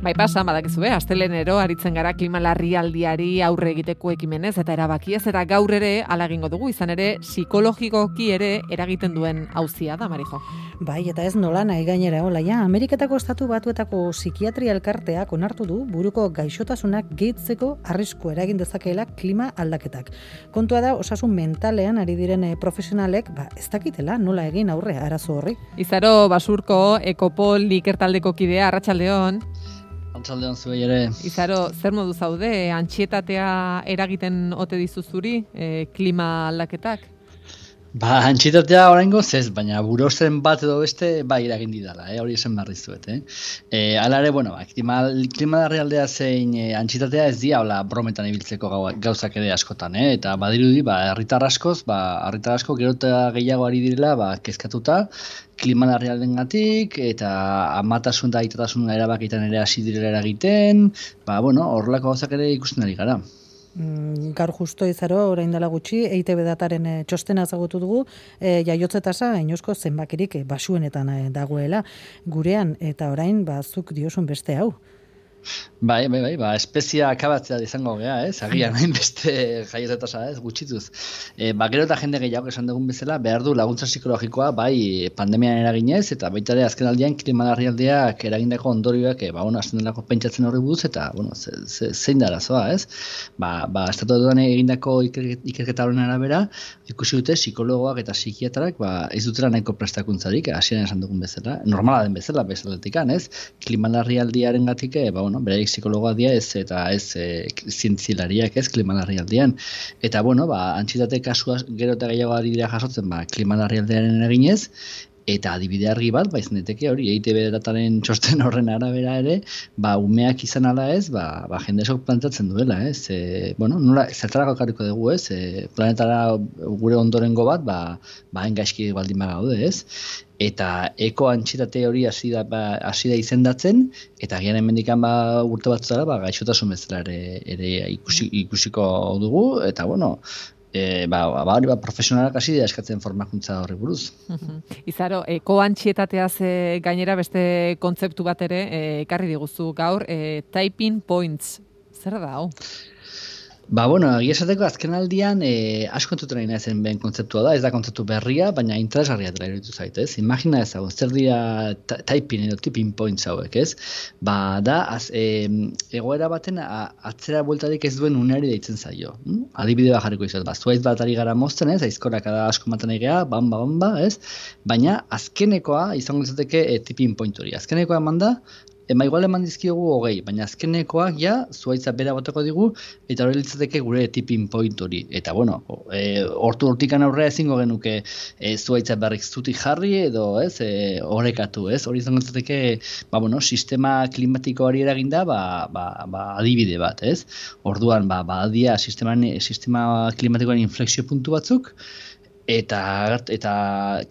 Bai pasa, badakizue, astelenero aritzen gara klima larrialdiari aurre egiteko ekimenez eta erabakiez, eta gaur ere hala egingo dugu, izan ere psikologikoki ere eragiten duen auzia da, Marijo. Bai, eta ez nola nahi gainera, olaia, Ameriketako Estatu Batuetako psikiatria elkarteak onartu du buruko gaixotasunak gehitzeko arrisku eragin dezakeela klima aldaketak. Kontua da, osasun mentalean ari diren profesionalek, ez dakitela nola egin aurre arazo horri. Izaro Basurko, Ekopol ikertaldeko kidea, arratsaldeon. Arratsaldeon zuei ere. Izaro, zer modu zaude, antsietatea eragiten ote dizu zuri, klima aldaketak? Antsietatea oraingoz ez, baina burozen bat edo beste bai eragin didala, hori esan behar dizuet. Hala ere, klima larrialdea zein antsietatea ez dira brometan ibiltzeko gauzak ere askotan, eta badirudi, herritar asko gero eta gehiago ari direla, kezkatuta, klima larrialdengatik eta amatasun eta aitatasun erabakitan ere hasi direla eragiten, horrelako gauzak ere ikusten ari gara. Gaur justo Izaro, orain dela gutxi, EITB dataren txostena ezagutu dugu, jaiotze tasa inoizko zenbakirik basuenetan dagoela gurean, eta orain zuk diosun beste hau. Bai, espezia akabatzea izango gea, agian hain beste jaiotze tasa, gutxituz. Gero eta jende gehiago esan dugun bezala, behar du laguntza psikologikoa, pandemian eraginez, eta baita ere azken aldian klima larrialdiak eragindako ondorioak, azten delako pentsatzen horri buruz, eta, zein da arazoa, Estatu Batuetan egindako ikerketa horren arabera, ikusi dute psikologoak eta psikiatrak, ez dutela nahiko prestakuntzarik, hasieran esan dugun bezala, normala den bezaletikan, klima larrialdiaren gatik, beraik psikologoa dira eta ez zientzilariak klima larrialdian. Eta, antsietate kasua gero eta gehiago ari dira jasotzen, klima larrialdiaren eraginez, eta adibide argi bat, izan daiteke hori, EITB dataren txosten horren arabera ere, umeak izan ala ez, jende esok plantatzen duela, nola, zertarako ekarriko dugu, planetara gure ondorengo bat, hain gaizki baldin bagaude, eta eko antsietate hori hasi da izendatzen, eta gian hemendikan urte batzutara, gaixotasun bezala ere ikusiko dugu, eta profesionalak hasi da eskatzen formakuntza horri buruz. Izaro, koantsietateaz gainera beste kontzeptu bat ere ekarri diguzu gaur, typing points. Zer da hau? Egia esateko azken aldian asko entzuten nahi zen ben kontzeptua da, ez da kontzeptu berria, baina interesgarria dela iruditu zait, Imagina ezagun, zer dira typing edo tipping points hauek, egoera baten atzera bueltarik ez duen uneari deitzen zaio. Adibide bat jarriko izan, zuaiz bat ari gara mozten, aizkorak asko maten egea, bamba, baina azkenekoa izango izateke tipping point hori. Azkenekoa eman da, igual eman dizkiogu 20, baina azkenekoak zuaitza bera boteko digu, eta hori litzateke gure tipping point hori. Eta, hortikan aurrera ezingo genuke zuaitza berrik zutik jarri edo, orekatu, Hori izango litzateke, sistema klimatikoari eraginda, adibide bat, Orduan, badia sistema klimatikoaren inflexio puntu batzuk, eta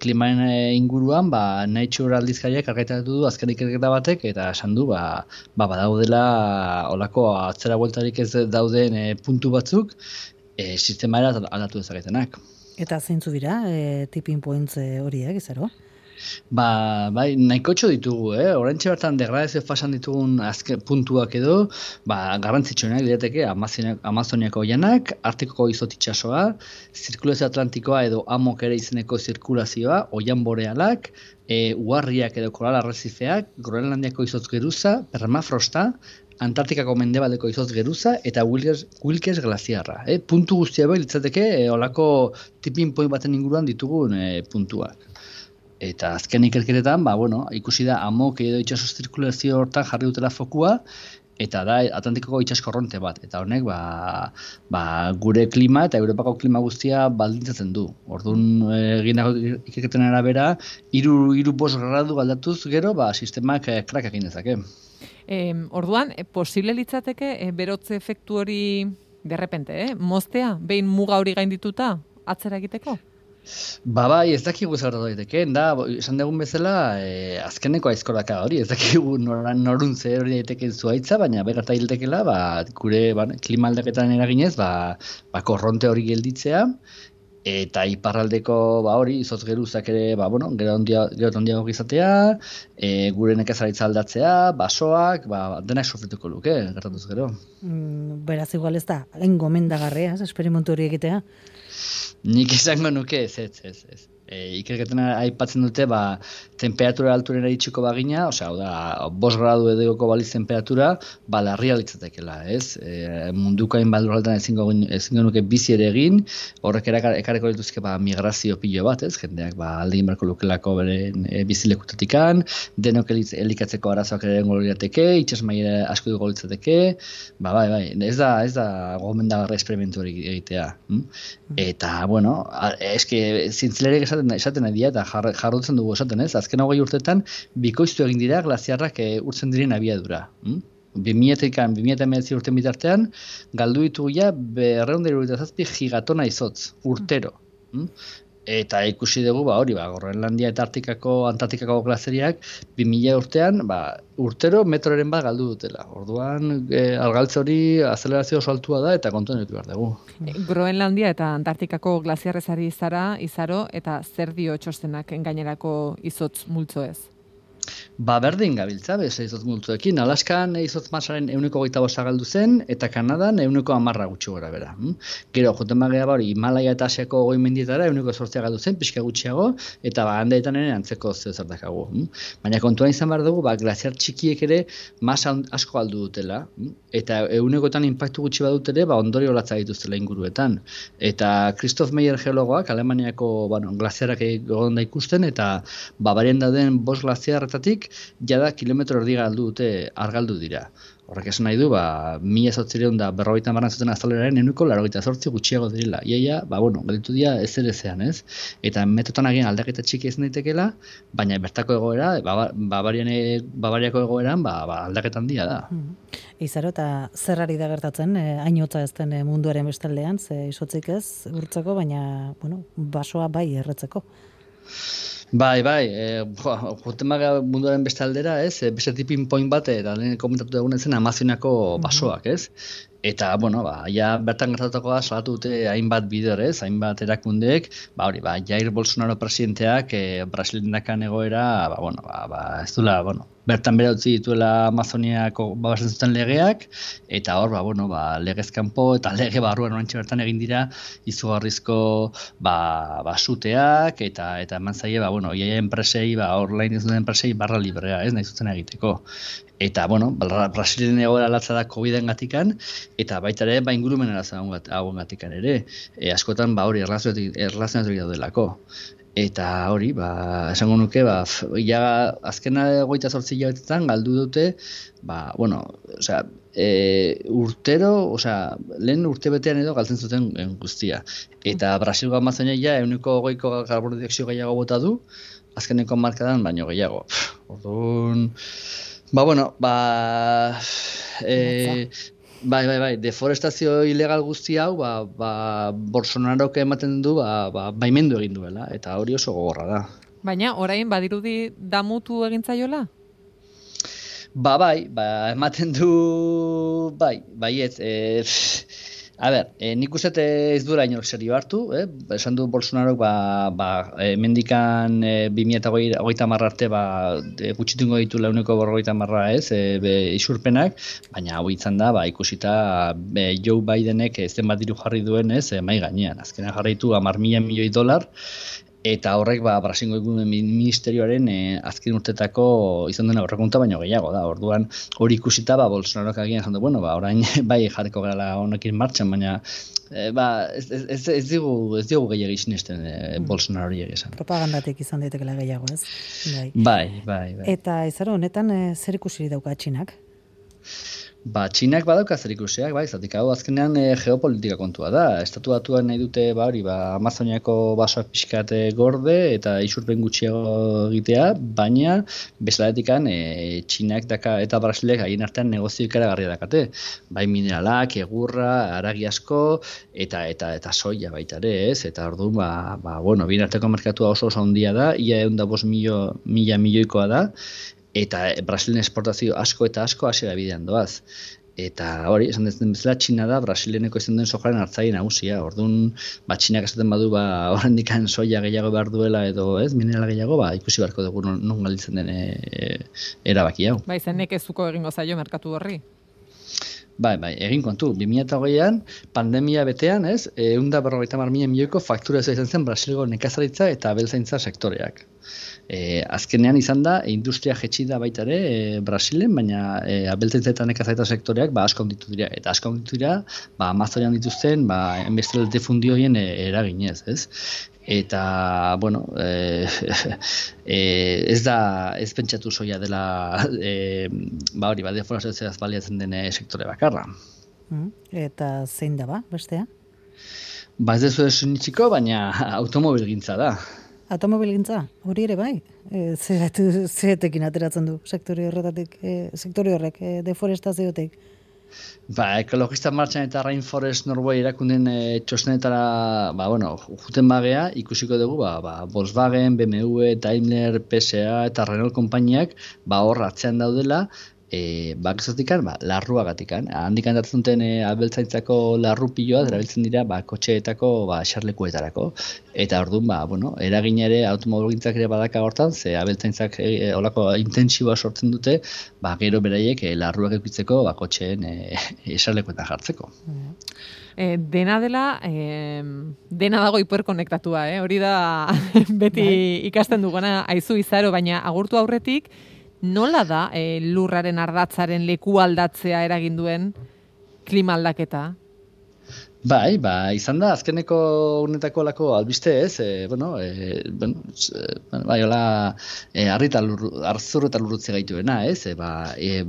klimaren inguruan Nature aldizkariak argaitatu du azken ikerketa batek eta esan du badaudela olako atzera bueltarik ez dauden puntu batzuk sistemaera aldatu dezaketenak. Eta zeintzu dira tipping points horiek, Izaro? Nahikotxo ditugu, Oraintxe bertan degradazio fasan ditugun azken puntuak edo, garrantzitsuenak lirateke Amazoniako oianak, Artikoko izotitsasoa, zirkulazio atlantikoa edo amok ere izeneko zirkulazioa, oian borealak, uharriak edo koral arrezifeak, Groenlandiako izotz geruza, permafrosta, Antartikako mendebaldeko izotz geruza eta Wilkes glaziarra. Puntu guztia litzateke olako tipping point baten inguruan ditugun puntuak. Eta azken ikerketetan, ikusi da amok edo itxaso zirkulazio hortan jarri dutela fokua, eta da Atlantikoko itsaskorronte bat. Eta honek, gure klima eta Europako klima guztia baldintzatzen du. Orduan, egindako ikerketen arabera, 3-5 gradu aldatuz gero, sistemak krak egin dezake. Orduan, posible litzateke berotze efektu hori derrepente, moztea, behin muga hori gaindituta, atzera egiteko? Ez dakigu zer daiteke, esan dugun bezala, azkeneko aizkoraka hori, ez dakigu norun zer hori daiteke zuaitza, baina begarta hiltekela, gure klima aldaketan eraginez, korronte hori gelditzea, eta iparraldeko hori izotz geruzak ere gero handiago izatea, gure nekazaritza aldatzea, basoak, denak sofrituko luke, gertatuz gero. Beraz igual ez da, hain gomendagarria, esperimentu hori egitea? Nik izango nuke, ez. Ikerketan aipatzen dute, temperatura alturera itxiko bagina, hau da, 5 gradu edegoko baliz temperatura, larria litzatekela, ez? Munduko hainbat lurraldetan ezingo nuke bizi ere egin, horrek ekarreko dituzke migrazio pilo bat, ez? Jendeak aldegin barko lukelako beren bizilekutatikan, denok elikatzeko arazoak ere egongo lirateke, itsasmailera asko dugu litzateke, bai, ez da gomendagarri esperimentu hori egitea. Eta, eske zintzilerek esaten nahi eta jarrotzen dugu esaten, ez? Azken 20 urtetan bikoiztu egin dira glaziarrak urtzen diren abiadura. 2019 urten bitartean galdu ditugu ja 277 gigatona izotz urtero. Eta ikusi dugu, Groenlandia eta Antartikako glazeriak 2000 urtean, urtero metroren bat galdu dutela. Orduan, argaltze hori azelerazio oso altua da eta kontuan ditu behar dugu. Groenlandia eta Antartikako glaziarrezari izaro eta zer dio txostenak gainerako izotz multzo ez? Berdin gabiltza, izotz multzoekin. Alaskan izotz masaren 125 galdu zen, eta Kanadan 110 gutxi gora bera. Gero, joten bagea Himalaya eta Asiako goi mendietara 108 galdu zen, pixka gutxiago, eta handeetan ere antzeko zertakagu. Baina kontuan izan behar dugu, glaziar txikiek ere masa asko galdu dutela, eta 100etan inpaktu gutxi badut ere, ondorio latza dituztela inguruetan. Eta Christoph Meyer geologoak, Alemaniako glaziarak egon da ikusten, eta Bavarian dauden 5 glaziarretatik jada kilometro erdi argaldu dira. Horrek esan nahi du, 1850 zuten azaleraren 188 gutxiago direla. Iaia, gelditu dira ezerezean, ez? Eta metotan agian aldaketa txiki ez daitekeela, baina bertako egoera, Bavariako egoeran, aldaketa handia da. Izaro, eta zer ari da gertatzen, hainotza ez den munduaren bestaldean, ze izotzik ez urtzeko, baina, basoa bai erretzeko. Bai, joten maga munduaren beste aldera, ez? Beste tipin point bat, eta lehen komentatu dugun zen Amazoniako basoak, ez? Eta, bertan gertatuko da, salatu dute hainbat bideo, ez? Hainbat erakundeek, Jair Bolsonaro presidenteak, Brasilendakan egoera, ez duela, bertan bera utzi dituela Amazoniako babazen zuten legeak, eta hor, legezkanpo eta lege barruan orantxe bertan egin dira izugarrizko suteak, eta eman zaie, iaia enpresei, online ez duten enpresei barra librea, ez, nahi zuten egiteko. Eta, Brasilen egoera latza da COVID-en gatikan, eta baita ere, ingurumen hauen gatikan ere. Askotan, hori erlazionatu daudelako. Eta hori, esango nuke, azkena 28 hilabetetan galdu dute, urtero, lehen urtebetean edo galtzen zuten guztia. Eta Brasilgo Amazonia 120ko karbono dioxio gehiago bota du, azkeneko markadan baino gehiago. Orduan, deforestazio ilegal guzti hau, Bolsonarok ematen du, baimendu egin duela, eta hori oso gogorra da. Baina, orain badirudi damutu egintzaiola? Ematen du, baietz, nik uste ez duela inork serio hartu, esan du Bolsonarok mendikan 2030 arte gutxitungo ditula 150 isurpenak, baina hau izan da, ikusita Joe Bidenek zenbat diru jarri duen mai gainean. Azkenean jarri ditu $10.000 milioi, eta horrek Brasilgo Ingurumen Ministerioaren azken urtetako izan duen aurrekontua baino gehiago da. Orduan hori ikusita Bolsonarok agian esan du, orain bai jarriko gara honekin martxan, baina ez digu gehiago sinesten Bolsonarori esan. Propagandatik izan daitekela gehiago, ez? Bai. Eta izaro honetan zer ikusi dauka Txinak? Txinak badauka zer ikusiak, zatik hau azkenean geopolitika kontua da. Estatu Batuak nahi dute, Amazoniako basoak pixkat gorde eta isurpen gutxiago egitea, baina bezaletikan Txinak eta Brasilek haien artean negozio ikaragarria dakate. Bai mineralak, egurra, haragi asko eta soia baita ere, ez? Eta orduan, bien arteko merkatua oso handia da, ia 105 milioikoa da, eta Brasilen esportazio asko eta asko hasiera bidean doaz. Eta hori, esan den bezala, Txina da Brasileneko izan den sojaren hartzaile nagusia. Orduan, Txinak esaten badu, oraindikan soia gehiago behar duela edo, minerala gehiago, ikusi beharko dugu non galditzen den erabaki hau. Bai, zen nekezuko egingo zaio merkatu horri. Bai, egin kontu. 2008an, pandemia betean, 150.000 milioiko faktura izan zen Brasilgo nekazaritza eta abeltzaintza sektoreak. Azkenean izan da, industria jetxi da baita ere Brasilen, baina abeltzaintza eta nekazaritza sektoreak asko handitu dira. Eta asko handitu dira, Amazonian dituzten, enbestela defundioien eraginez, ez? Eta, bueno, ez pentsatu soia dela, deforazioaz baliatzen den sektore bakarra. Eta zein da bestea? Ez dezu esunitxiko, baina automobilgintza da. Automobilgintza, hori ere bai? Zeretekin ateratzen du sektore horretatik, sektore horrek, deforestaziotik? Ekologista martxan eta Rainforest Norway erakunden txosnetara, juten bagea, ikusiko dugu, Volkswagen, BMW, Daimler, PSA eta Renault konpainiak, hor atzean daudela, bakizotikan, larruagatikan. Handikan datzen duten abeltzaintzako larru piloa, erabiltzen dira, kotxeetako, xarlekuetarako. Eta orduan, eragina ere automobilgintzak ere badaka hortan, ze abeltzaintzak olako intentsiboa sortzen dute, gero beraiek larruak eukitzeko, kotxeen xarlekuetan jartzeko. Dena dela, dena dago hiperkonektatua, hori da beti ikasten duguna aizu izaro, baina agurtu aurretik, nola da lurraren ardatzaren leku aldatzea eragin duen klima aldaketa? Izan da, azkeneko unetako lako albiste ez, arzur eta lurrutze gaituena, ez,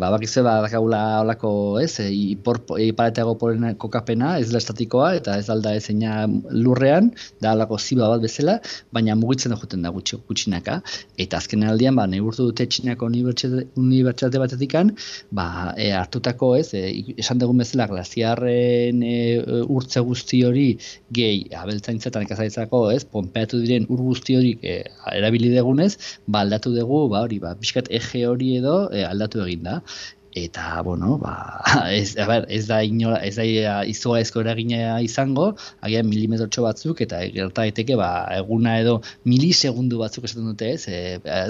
bakizue dakagula olako, ez, ipareteago poren kokapena, ez da estatikoa, eta ez alda ezeina lurrean, da olako ziba bat bezala, baina mugitzen da juten da gutxinaka, eta azkenen aldian, neurtu dute Txinako unibertsitate batetikan, hartutako, ez, esan dugun bezala, glaziarren urtze guzti hori gehi abeltzaintza eta nekazaritzako, ponpeatu diren ur guzti hori erabili degunez, aldatu dugu, pixkat eje hori edo aldatu egin da. Eta, ez da izugarrizko eragina izango, agian milimetrotxo batzuk, eta gerta daiteke, eguna edo milisegundu batzuk esaten dute,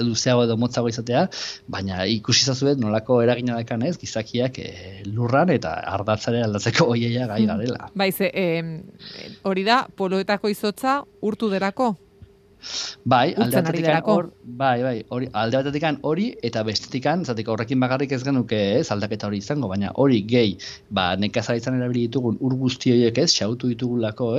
luzeago edo motzago izatea, baina ikusi zazuet nolako eragina dakan gizakiak lurran eta ardatzaren aldatzeko oieia gai garela. Hori da, poloetako izotza urtu derako? Alde batetikan hori eta bestetikan, zatik horrekin bakarrik ez genuke aldaketa hori izango, baina hori gehi, nekazaritzan erabili ditugun ur guzti horiek xautu ditugulako,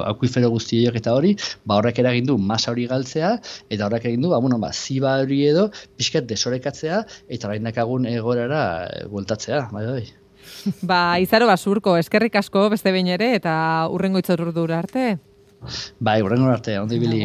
akuifero guzti horiek eta hori, horrek eragindu masa hori galtzea, eta horrek eragindu, ziba hori edo, pixkat desorekatzea, eta orain dakagun egorara bueltatzea, Izaro Basurko, eskerrik asko beste behin ere, eta urrengo itzordura arte. Hurrengo arte, ondo ibili.